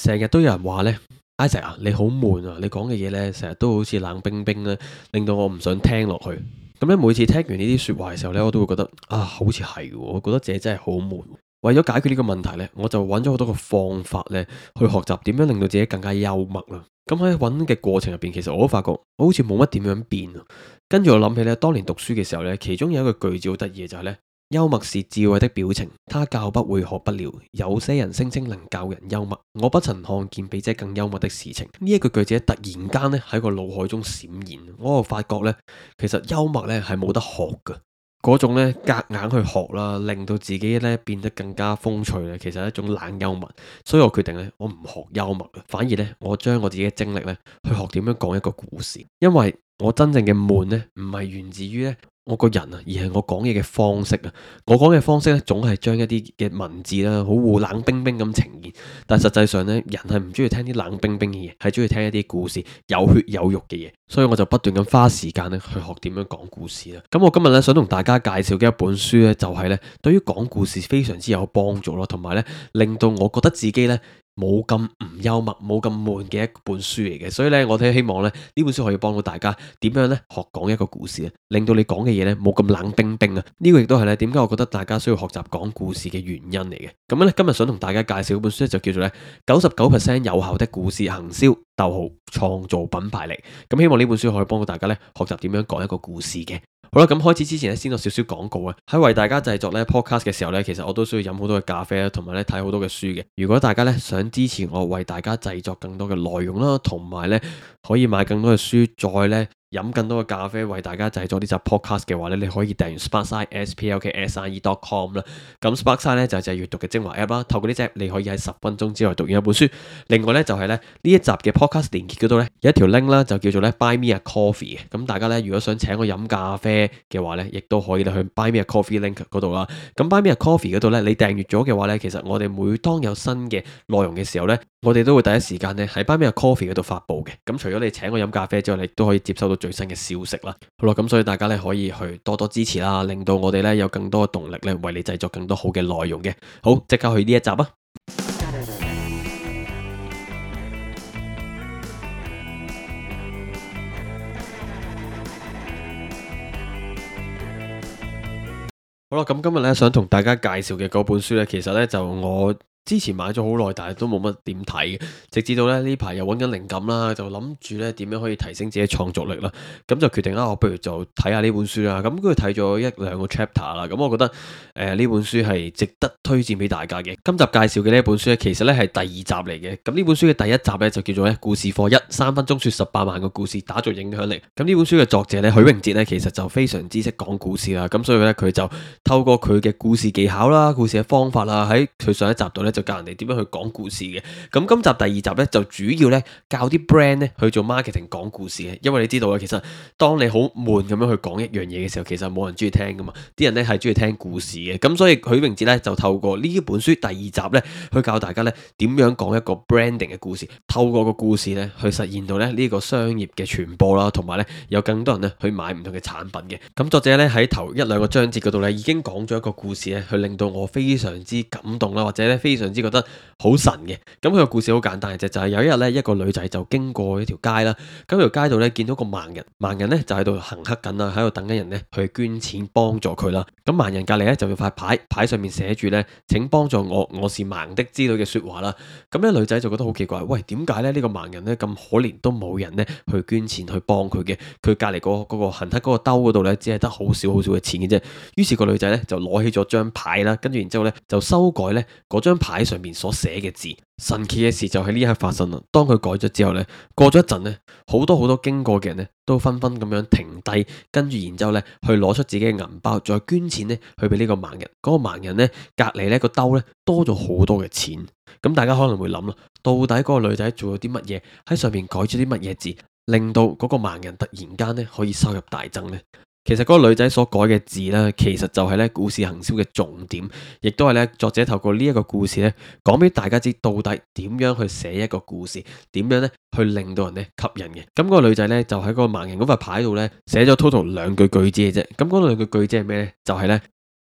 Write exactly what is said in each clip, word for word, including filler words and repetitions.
成日都有人話呢 Isaac 啊，你好悶啊，你講嘅嘢呢，成日都好似冷冰冰咧，令到我唔想聽落去。咁咧每次聽完呢啲說話嘅時候呢，我都會覺得啊，好似係喎，我覺得自己真係好悶。為咗解決呢個問題呢，我就揾咗好多個方法呢，去學習點樣令到自己更加幽默啦。咁喺揾嘅過程入邊，其實我都發覺我好似冇乜點樣變啊。跟住我諗起呢，當年讀書嘅時候呢，其中有一個句子好得意嘅就係呢：幽默是智慧的表情，他教不會學不了。有些人聲稱能教人幽默，我不曾看見比這更幽默的事情。呢一句句子突然間呢喺個腦海中閃現，我就發覺呢，其實幽默呢係冇得學㗎。嗰種咧夾硬去學啦，令到自己咧變得更加風趣咧，其實係一種冷幽默。所以我決定咧，我唔學幽默嘅，反而咧我將我自己嘅精力咧去學點樣講一個故事。因為我真正嘅悶咧，唔係源自於咧我個人啊，而係我講嘢嘅方式啊。我講嘅方式咧，總係將一啲嘅文字啦，好冷冰冰咁呈現。但實際上咧，人係唔中意聽啲冷冰冰嘅嘢，係中意聽一啲故事有血有肉嘅嘢。所以我就不斷咁花時間咧去學點樣講故事啦。咁我今日咧想同大家介紹嘅一本書咧，就係咧對於講故事非常之有幫助咯，同埋咧令到我覺得自己咧冇咁唔幽默、冇咁悶嘅一本書嚟嘅。所以咧，我都希望咧呢本書可以幫到大家點樣咧學講一個故事啊，令到你講嘅嘢咧冇咁冷冰冰啊。呢個亦都係咧點解我覺得大家需要學習講故事嘅原因嚟嘅。咁咧今日想同大家介紹嗰本書咧就叫做咧九十九 percent 有效的故事行銷，逗號創造品牌力。咁希望呢本書可以幫到大家咧學習點樣講一個故事嘅。好啦，咁開始之前咧，先有少少廣告啊。喺為大家製作咧 podcast 嘅時候咧，其實我都需要飲好多嘅咖啡啦，同埋咧睇好多嘅書嘅。如果大家咧想支持我為大家製作更多嘅內容啦，同埋咧可以買更多嘅書，再咧飲更多嘅咖啡，為大家製作呢集 podcast 嘅話咧，你可以訂閱 Sparkside S P L K S I E dot com 啦。咁 Sparkside 咧就係閱讀嘅精華 app 啦。透過呢隻，你可以喺十分鐘之內讀完一本書。另外咧就係咧呢一集嘅 podcast 連結嗰度咧有一條 link 啦，就叫做咧 Buy Me a Coffee 嘅。咁大家咧如果想請我飲咖啡嘅話咧，亦都可以去 Buy Me a Coffee link 嗰度啦。咁 Buy Me a Coffee 嗰度咧，你訂閱咗嘅話咧，其實我哋每當有新嘅內容嘅時候咧，我哋都會第一時間咧喺 Buy Me a Coffee 嗰度發佈嘅。咁除咗你請我飲咖啡之外，你亦都可以接收到最新嘅消息啦。好啦，咁所以大家咧可以去多多支持啦，令到我哋咧有更多嘅動力咧，為你製作更多好嘅內容嘅。好，即刻去呢一集啊！好啦，咁今日咧想同大家介紹嘅嗰本書咧，其實咧就我之前買咗好耐，但係都冇乜點睇嘅，直至到咧呢排又揾緊靈感啦，就諗住咧點樣可以提升自己創作力啦，咁就決定啦，我不如就睇下呢本書啦。咁跟住睇咗一兩個 chapter 啦，咁我覺得誒呢、呃、本書係值得推薦俾大家嘅。今集介紹嘅呢一本書咧，其實咧係第二集嚟嘅。咁呢本書嘅第一集咧就叫做咧故事課一，三分鐘說十八萬個故事，打造影響力。咁呢本書嘅作者咧許榮哲咧，其實就非常之識講故事啦。咁所以咧佢就透過佢嘅故事技巧啦、故事嘅方法啦，喺佢上一集度咧，就教人哋點樣去講故事嘅。咁今集第二集咧就主要咧教啲 brand 咧去做 marketing 講故事嘅。因為你知道啊，其實當你好悶咁樣去講一樣嘢嘅時候，其實冇人中意聽噶嘛。啲人咧係中意聽故事嘅。咁所以許榮哲咧就透過呢本書第二集咧去教大家咧點樣講一個 branding 嘅故事，透過個故事咧去實現到咧呢個商業嘅傳播啦，同埋咧有更多人咧去買唔同嘅產品嘅。咁作者咧喺頭一兩個章節嗰度咧已經講咗一個故事咧，去令到我非常之感動啦，或者咧非常之覺得好神嘅。咁佢個故事好簡單嘅啫，就係有一日咧一個女仔就經過一條街啦，咁條街度咧見到個盲人，盲人咧就喺度行乞緊啦，喺度等緊人咧去捐錢幫助佢啦。咁盲人隔籬咧就有塊牌，牌上面寫住咧請幫助我，我是盲的之類嘅說話啦。咁咧女仔就覺得好奇怪，喂，點解咧呢個盲人咧咁可憐都冇人咧去捐錢去幫佢嘅？佢隔籬嗰嗰個行乞嗰個兜嗰度咧只係得好少好少嘅錢嘅啫。於是個女仔咧就攞起咗張牌啦，跟住然之後咧就修改咧嗰張牌上面所寫嘅字。神奇嘅事就喺呢一刻發生啦。當佢改咗之後咧，過咗一陣咧，好多好多經過嘅人咧都紛紛咁樣停低，跟住然之後咧去攞出自己嘅銀包，再捐錢咧去俾呢個盲人。嗰、那個盲人咧隔籬咧個兜咧多咗好多嘅錢。咁大家可能會諗啦，到底嗰個女仔做咗啲乜嘢，喺上面改咗啲乜嘢字，令到嗰個盲人突然間咧可以收入大增呢？其實嗰個女仔所改嘅字呢，其實就係咧故事行銷嘅重點，亦都係咧作者透過呢一個故事咧，講俾大家知到底點樣去寫一個故事，點樣咧去令到人咧吸引嘅。咁嗰個女仔咧就喺個盲人嗰塊牌度咧寫咗 total 兩句句子嘅啫。咁嗰兩句句子係咩咧？就係咧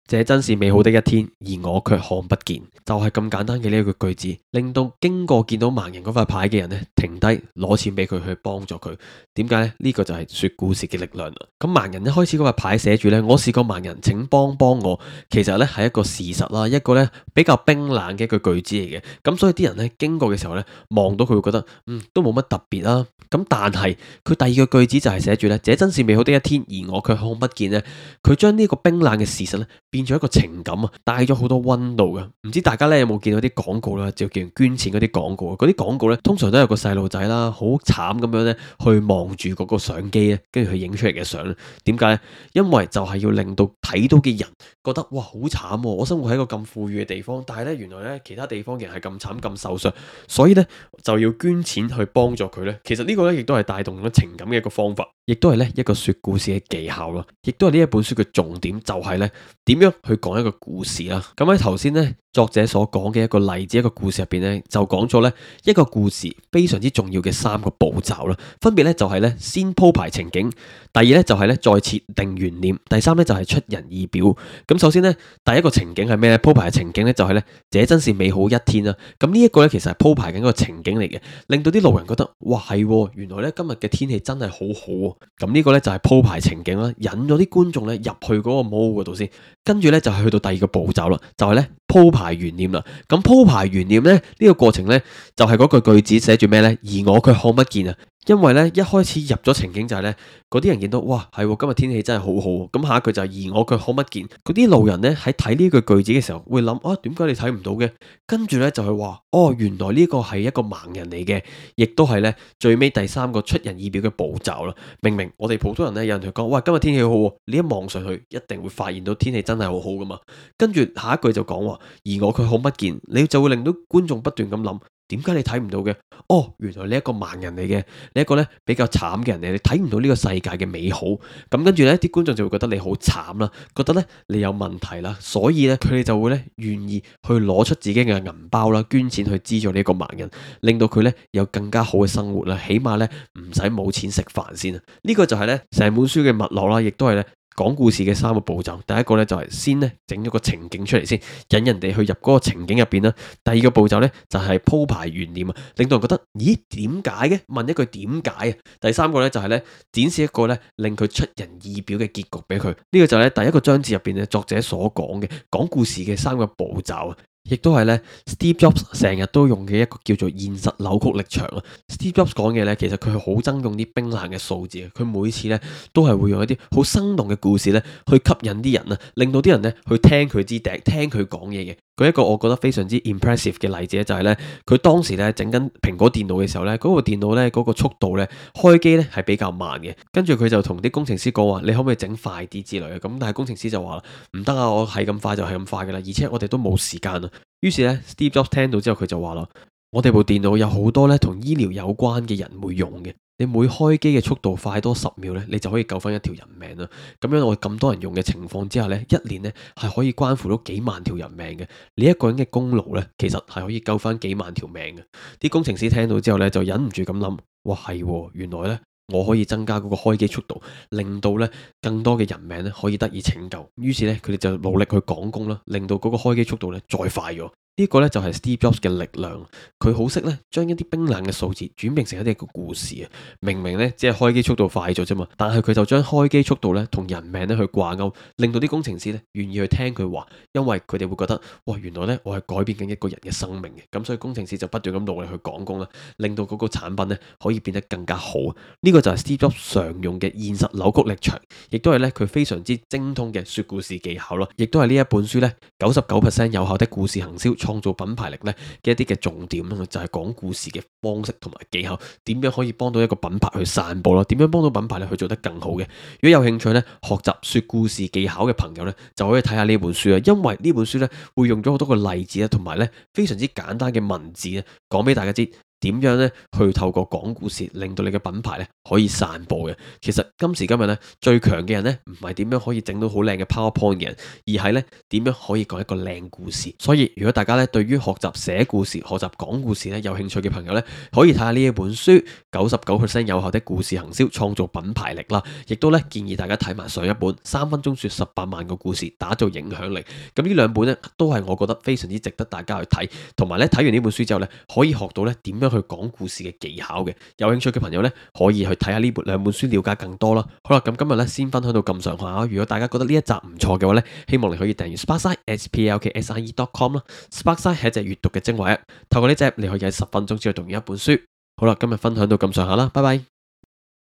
這真是美好的一天，而我卻看不見。就係咁簡單嘅呢一句句子，令到經過見到盲人嗰塊牌嘅人呢，停低攞錢俾佢去幫助佢。點解呢？呢個就係說故事嘅力量啦。咁盲人一開始嗰塊牌寫住呢：「我是個盲人，請幫幫我」。其實呢係一個事實啦，一個呢比較冰冷嘅一句句子嚟嘅。咁所以啲人呢經過嘅時候呢，望到佢會覺得嗯都冇乜特別啦。咁但係佢第二個句子就係寫住呢：「這真是美好的一天，而我卻看不見」呢。佢將呢個冰冷嘅事實呢，變咗一個情感啊，帶咗好多溫度嘅。唔知大家咧有冇見到啲廣告啦，就叫人捐錢嗰啲廣告啊。嗰啲廣告咧，通常都有個細路仔啦，好慘咁樣咧，去望住嗰個相機咧，跟住佢影出嚟嘅相。點解咧？因為就係要令到睇到嘅人覺得哇，好慘喎！我生活喺一個咁富裕嘅地方，但係咧原來咧其他地方嘅人係咁慘咁受傷，所以咧就要捐錢去幫助佢咧。其實呢個咧亦都係帶動咗情感嘅一個方法，亦都係咧一個說故事嘅技巧咯，亦都係呢一本書嘅重點，就係咧點樣去講一個故事啦。咁喺頭先咧作者所講嘅一個例子，一個故事入邊咧就講咗咧一個故事非常之重要嘅三個步驟啦，分別咧就係咧先鋪排情景，第二咧就係咧再設定懸念，第三咧就係出人意表。咁首先咧第一個情景係咩咧？鋪排嘅情景咧就係咧這真是美好一天啦。咁呢一個咧其實係鋪排緊一個情景嚟嘅，令到啲路人覺得哇係，原來咧今日嘅天氣真係好好喎。咁呢個咧就係鋪排情景啦，引咗啲觀眾咧入去嗰個 mall 嗰度先，跟住咧就係去到第二個步驟啦，就係咧鋪排懸念啦。咁鋪排懸念咧呢個過程咧就係嗰句句子寫住咩咧？而我卻看不見啊！因為咧一開始入咗情景就係咧嗰啲人見到哇係今日天氣真係好好，咁下一句就係而我卻看不見。嗰啲路人咧喺睇呢句句子嘅時候會諗啊，點解你睇唔到嘅？跟住咧就係話哦，原來呢個係一個盲人嚟嘅，亦都係咧最尾第三個出人意表嘅步驟啦。明明我哋普通人咧有人同佢講哇今日天氣好好，你一望上去一定會發現到天氣真係好好噶嘛。跟住下一句就講話而我卻看不見，你就會令到觀眾不斷咁諗。點解你睇唔到嘅？哦，原來你一個盲人嚟嘅，你一個咧比較慘嘅人嚟，你睇唔到呢個世界嘅美好。咁跟住咧，啲觀眾就會覺得你好慘啦，覺得咧你有問題啦，所以咧佢哋就會咧願意去攞出自己嘅銀包啦，捐錢去資助呢個盲人，令到佢咧有更加好嘅生活啦，起碼咧唔使冇錢食飯先啊！呢個就係咧成本書嘅脈絡啦，亦都係咧。講故事嘅三個步驟，第一個咧就係先咧整咗個情景出嚟先，引人哋去入嗰個情景入邊啦。第二個步驟咧就係鋪排懸念啊，令到人覺得咦點解嘅？問一句點解啊？第三個咧就係咧展示一個咧令佢出人意表嘅結局俾佢。呢個就係咧第一個章節入邊嘅作者所講嘅講故事嘅三個步驟啊。亦都係咧，Steve Jobs 成日都用嘅一個叫做現實扭曲力場啊。Steve Jobs 講嘅咧，其實佢係好憎用啲冰冷嘅數字啊。佢每次咧都係會用一啲好生動嘅故事咧，去吸引啲人啊，令到啲人咧去聽佢支笛，聽佢講嘢嘅。舉一個我覺得非常之 impressive 嘅例子咧，就係咧佢當時咧整緊蘋果電腦嘅時候咧，嗰個電腦咧嗰個速度咧開機咧係比較慢嘅。跟住佢就同啲工程師講話：你可唔可以整快啲之類嘅？咁但係工程師就話啦：唔得啊，我係咁快就係咁快噶啦，而且我哋都冇時間啊。於是咧，Steve Jobs 聽到之後佢就話啦：我哋部電腦有好多咧同醫療有關嘅人會用嘅。你每開機嘅速度快多十秒咧，你就可以救翻一條人命啦。咁樣我咁多人用嘅情況之下咧，一年咧係可以關乎到幾萬條人命嘅。你一個人嘅功勞咧，其實係可以救翻幾萬條命嘅。啲工程師聽到之後咧，就忍唔住咁諗：哇，係，原來咧我可以增加嗰個開機速度，令到咧更多嘅人命咧可以得以拯救。於是咧，佢哋就努力去趕工啦，令到嗰個開機速度咧再快咗。呢個咧就係 Steve Jobs 嘅力量，佢好識咧將一啲冰冷嘅數字轉變成一啲個故事啊！明明咧只係開機速度快咗啫嘛，但係佢就將開機速度咧同人命咧去掛鈎，令到啲工程師咧願意去聽佢話，因為佢哋會覺得哇，原來咧我係改變緊一個人嘅生命嘅，咁所以工程師就不斷咁努力去趕工啦，令到嗰個產品咧可以變得更加好。呢個就係 Steve Jobs 常用嘅現實扭曲力場，亦都係咧佢非常之精通嘅說故事技巧咯，亦都係呢一本書咧九十九 percent 有效的故事行銷。創造品牌力咧嘅一啲嘅重點啦，就係講故事嘅方式同埋技巧，點樣可以幫到一個品牌去散播咯？點樣幫到品牌咧去做得更好嘅？如果有興趣咧學習說故事技巧嘅朋友咧，就可以睇下呢本書啊，因為呢本書咧會用咗好多個例子啊，同埋咧非常之簡單嘅文字咧，講俾大家知點樣咧去透過講故事令到你嘅品牌咧可以散播嘅。其實今時今日咧最強嘅人咧唔係點樣可以整到好靚嘅 PowerPoint 嘅人，而係咧點樣可以講一個靚故事。所以如果大家咧對於學習寫故事、學習講故事咧有興趣嘅朋友咧，可以睇下呢一本書九十九 percent 有效的故事行銷，創造品牌力啦。亦都咧建議大家睇埋上一本三分鐘說十八萬個故事，打造影響力。咁呢兩本咧都係我覺得非常之值得大家去睇，同埋咧睇完呢本書之後咧可以學到咧點樣去講故事嘅技巧嘅。有興趣嘅朋友咧可以去睇下呢本兩本書，了解更多啦。好啦，咁今日咧先分享到咁上下。如果大家覺得呢一集唔錯嘅話咧，希望你可以訂閱 Sparkside s p l k s i e dot com 啦。Sparkside 係一隻閱讀嘅精華，透過呢隻你可以喺十分鐘之內讀完一本書。好啦，今日分享到咁上下啦，拜拜。